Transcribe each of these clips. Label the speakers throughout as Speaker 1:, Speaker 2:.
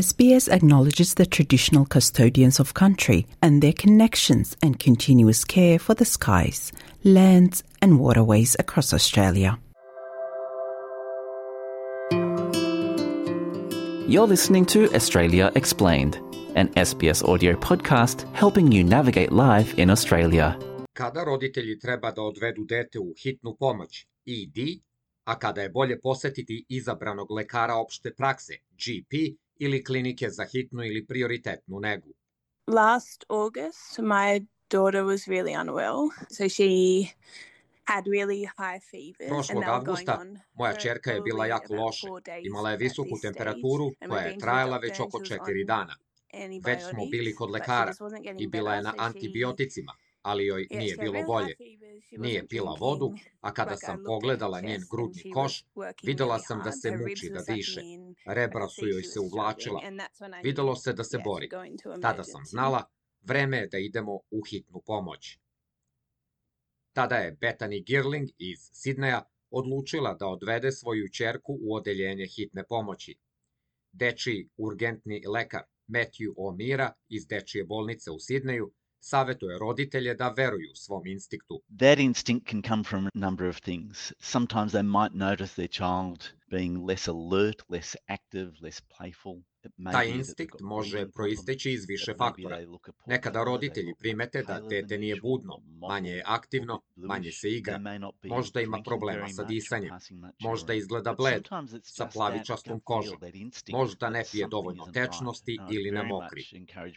Speaker 1: SBS acknowledges the traditional custodians of country and their connections and continuous care for the skies, lands and waterways across Australia.
Speaker 2: You're listening to Australia Explained, an SBS audio podcast helping you navigate life in Australia.
Speaker 3: Kada roditelji treba da odvedu dete u hitnu pomoć, ED, a kada je bolje posetiti izabranog lekara opšte prakse, GP, ili klinike za hitnu ili prioritetnu negu.
Speaker 4: Last August, my daughter was really unwell, so she had really high fevers.
Speaker 3: Prošlog avgusta moja ćerka je bila jako loše. Imala je visoku temperaturu koja je trajala već oko 4 dana. Već smo bili kod lekara i bila je na antibioticima, ali joj nije bilo bolje. Nije pila vodu, a kada sam pogledala njen grudni koš, videla sam da se muči da diše. Rebra su joj se uvlačila. Videlo se da se bori. Tada sam znala, vreme je da idemo u hitnu pomoć. Tada je Bethany Girling iz Sidneja odlučila da odvede svoju ćerku u odeljenje hitne pomoći. Dečiji urgentni lekar Matthew O'Meara iz dečije bolnice u Sidneju savjetuje roditelje da veruju svom instinktu.
Speaker 5: That instinct can come from a number of things. Sometimes they might notice their child being less alert, less active, less playful.
Speaker 3: Taj instinkt može proisteći iz više faktora. Nekada roditelji primete da dete nije budno, manje je aktivno, manje se igra, možda ima problema sa disanjem, možda izgleda bled, sa plavičastom kožom, možda ne pije dovoljno tečnosti ili ne mokri.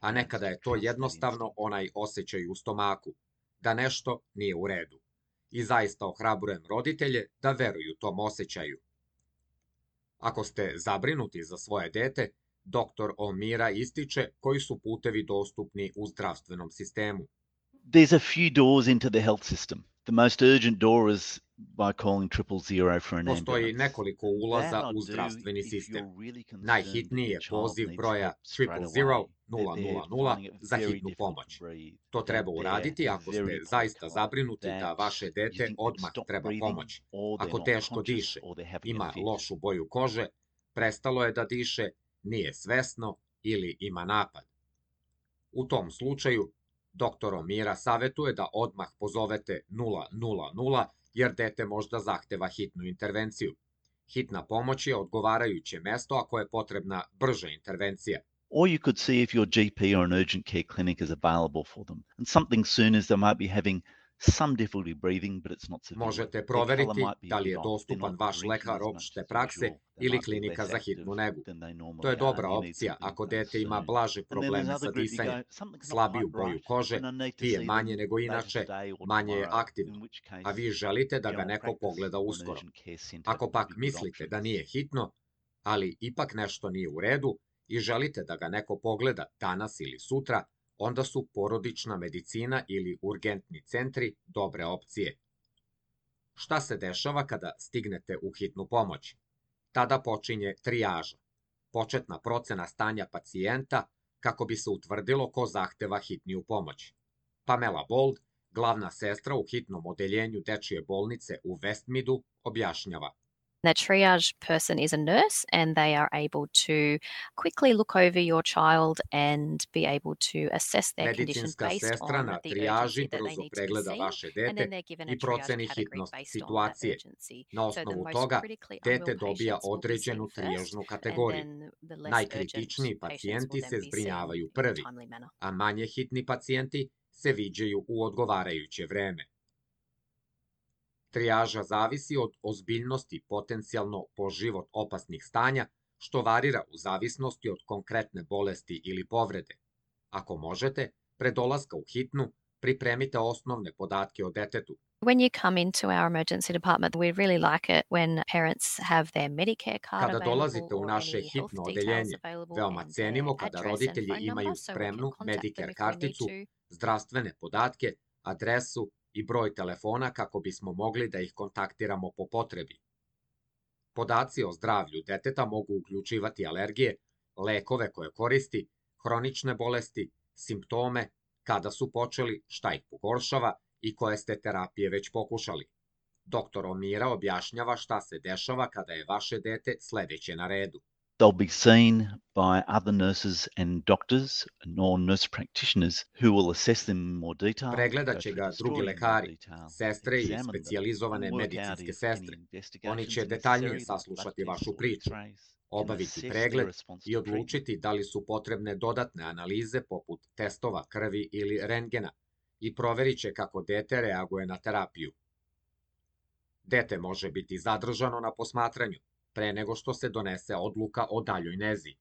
Speaker 3: A nekada je to jednostavno onaj osjećaj u stomaku, da nešto nije u redu. I zaista ohrabrujem roditelje da veruju tom osjećaju. Ako ste zabrinuti za svoje dete, Dr. O'Meara ističe koji su putevi dostupni u zdravstvenom sistemu.
Speaker 5: There's a few doors into the health system. The most urgent door is by calling 000 for an ambulance.
Speaker 3: Postoji nekoliko ulaza u zdravstveni sistem. Najhitniji je poziv broja 000 za hitnu pomoć. To treba uraditi ako ste zaista zabrinuti da vaše dete odmah treba pomoć. Ako teško diše, ima lošu boju kože, prestalo je da diše, nije svesno ili ima napad. U tom slučaju, dr. O'Meara savjetuje da odmah pozovete 000 jer dete možda zahteva hitnu intervenciju. Hitna pomoć je odgovarajuće mesto ako je potrebna brža intervencija.
Speaker 5: Or you could see if your GP or an urgent care clinic is available for them. And something soon is they might be having some difficulty breathing, but it's not severe.
Speaker 3: Možete proveriti da li je dostupan vaš lekar opšte prakse ili klinika za hitnu negu. To je dobra opcija ako dete ima blaže probleme sa disanjem, slabiju boju kože, pije manje nego inače, manje je aktivno, a vi želite da ga neko pogleda uskoro. Ako pak mislite da nije hitno, ali ipak nešto nije u redu i želite da ga neko pogleda danas ili sutra, onda su porodična medicina ili urgentni centri dobre opcije. Šta se dešava kada stignete u hitnu pomoć? Tada počinje trijaža, početna procena stanja pacijenta kako bi se utvrdilo ko zahteva hitniju pomoć. Pamela Bold, glavna sestra u hitnom odeljenju dečije bolnice u Westmeadu, objašnjava.
Speaker 6: The triage person is a nurse and they are able to quickly look over your child and be able to assess their condition based on the urgency that they need to see, and then they're given a triage category based on that urgency.
Speaker 3: Na osnovu toga, dete dobija određenu trijažnu kategoriju. Najkritičniji pacijenti se zbrinjavaju prvi, a manje hitni pacijenti se viđaju u odgovarajuće vreme. Trijaža zavisi od ozbiljnosti potencijalno po život opasnih stanja, što varira u zavisnosti od konkretne bolesti ili povrede. Ako možete, pre dolaska u hitnu, pripremite osnovne podatke o detetu.
Speaker 6: When you come into our emergency department, we really like it when parents have their Medicare card
Speaker 3: Kada
Speaker 6: available
Speaker 3: dolazite u
Speaker 6: or
Speaker 3: naše
Speaker 6: any health
Speaker 3: hitno
Speaker 6: details
Speaker 3: odeljenje,
Speaker 6: available
Speaker 3: veoma
Speaker 6: and
Speaker 3: cenimo
Speaker 6: their
Speaker 3: kada
Speaker 6: address and
Speaker 3: roditelji
Speaker 6: phone
Speaker 3: imaju
Speaker 6: number so we
Speaker 3: spremnu
Speaker 6: can contact them
Speaker 3: Medicare
Speaker 6: if we need
Speaker 3: karticu,
Speaker 6: to.
Speaker 3: zdravstvene podatke, adresu i broj telefona kako bismo mogli da ih kontaktiramo po potrebi. Podaci o zdravlju deteta mogu uključivati alergije, lekove koje koristi, hronične bolesti, simptome, kada su počeli, šta ih pogoršava i koje ste terapije već pokušali. Dr. O'Meara objašnjava šta se dešava kada je vaše dete sledeće na redu.
Speaker 5: They'll be seen by other nurses and doctors nor nurse practitioners who will assess them in more detail.
Speaker 3: Pregledat će ga drugi lekari, sestre i specijalizovane medicinske sestre. Oni će detaljnije saslušati vašu priču, obaviti pregled i odlučiti da li su potrebne dodatne analize poput testova krvi ili rentgena i proverit će kako dete reaguje na terapiju. Dete može biti zadržano na posmatranju pre nego što se donese odluka o daljoj nezi.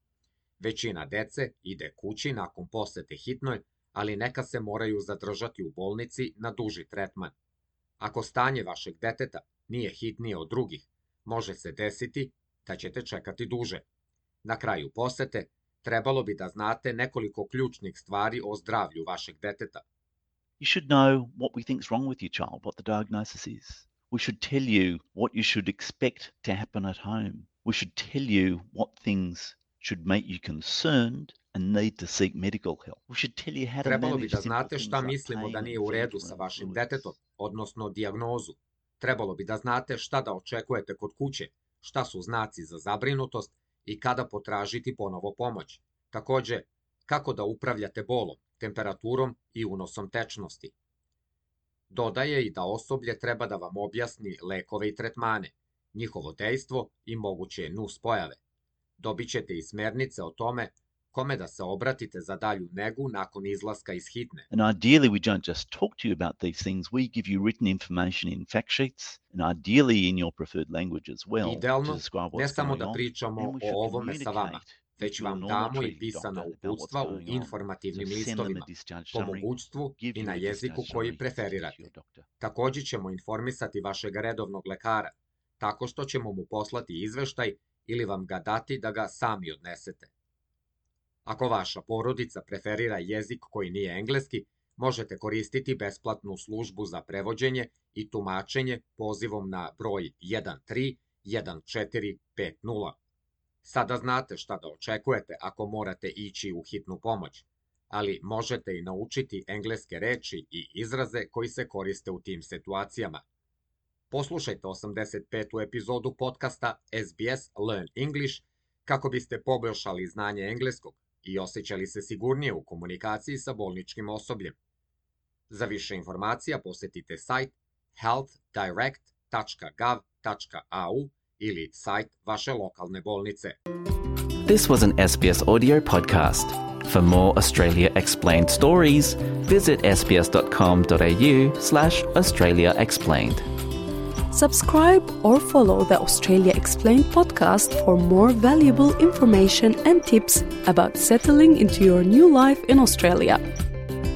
Speaker 3: Većina dece ide kući nakon posete hitnoj, ali neka se moraju zadržati u bolnici na duži tretman. Ako stanje vašeg deteta nije hitnije od drugih, može se desiti da ćete čekati duže. Na kraju posete trebalo bi da znate nekoliko ključnih stvari o zdravlju vašeg deteta.
Speaker 5: You should know what we think is wrong with your child, what the diagnosis is. We should tell you what you should expect to happen at home. We should tell you what things should make you concerned and need to seek medical help. We should tell you how to manage
Speaker 3: Trebalo bi da
Speaker 5: simple
Speaker 3: znate
Speaker 5: things
Speaker 3: šta
Speaker 5: like
Speaker 3: mislimo
Speaker 5: pain
Speaker 3: da
Speaker 5: and
Speaker 3: nije u redu
Speaker 5: fever
Speaker 3: sa
Speaker 5: and
Speaker 3: vašim
Speaker 5: fluids.
Speaker 3: detetom, odnosno dijagnozu. Trebalo bi da znate šta da očekujete kod kuće, šta su znaci za zabrinutost i kada potražiti ponovo pomoć. Takođe, kako da upravljate bolom, temperaturom i unosom tečnosti. Dodaje i da osoblje treba da vam objasni lekove i tretmane, njihovo dejstvo i moguće nuspojave. Dobit ćete i smernice o tome kome da se obratite za dalju negu nakon izlaska iz hitne.
Speaker 5: And ideally, we don't just talk to you about these things. We give you written information in fact sheets and ideally in your preferred language as well.
Speaker 3: Idealno,
Speaker 5: to describe
Speaker 3: ne
Speaker 5: what's
Speaker 3: samo
Speaker 5: going
Speaker 3: da
Speaker 5: on.
Speaker 3: pričamo
Speaker 5: And we should
Speaker 3: o ovome sa vama,
Speaker 5: communicate
Speaker 3: već
Speaker 5: with
Speaker 3: vam
Speaker 5: your
Speaker 3: damo
Speaker 5: normal
Speaker 3: i
Speaker 5: treaty
Speaker 3: pisana
Speaker 5: doctor about what's
Speaker 3: uputstva u
Speaker 5: going on.
Speaker 3: informativnim
Speaker 5: So send them a
Speaker 3: listovima,
Speaker 5: discharge
Speaker 3: po
Speaker 5: summary,
Speaker 3: mogućstvu
Speaker 5: give
Speaker 3: i
Speaker 5: you
Speaker 3: na
Speaker 5: a
Speaker 3: jeziku
Speaker 5: discharge
Speaker 3: koji
Speaker 5: summary to
Speaker 3: preferirate.
Speaker 5: your doctor.
Speaker 3: Takođe ćemo informisati vašeg redovnog lekara, tako što ćemo mu poslati izveštaj ili vam ga dati da ga sami odnesete. Ako vaša porodica preferira jezik koji nije engleski, možete koristiti besplatnu službu za prevođenje i tumačenje pozivom na broj 131450. Sada znate šta da očekujete ako morate ići u hitnu pomoć, ali možete i naučiti engleske reči i izraze koji se koriste u tim situacijama. Poslušajte 85. epizodu podcasta SBS Learn English kako biste poboljšali znanje engleskog i osjećali se sigurnije u komunikaciji sa bolničkim osobljem. Za više informacija posetite sajt healthdirect.gov.au ili sajt vaše lokalne bolnice.
Speaker 2: This was an SBS audio podcast. For more Australia Explained stories, visit sbs.com.au/Australia Explained.
Speaker 7: Subscribe or follow the Australia Explained podcast for more valuable information and tips about settling into your new life in Australia.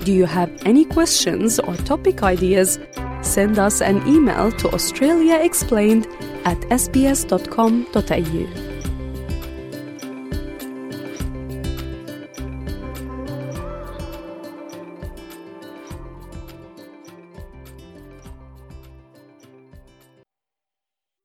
Speaker 7: Do you have any questions or topic ideas? Send us an email to australiaexplained@sbs.com.au.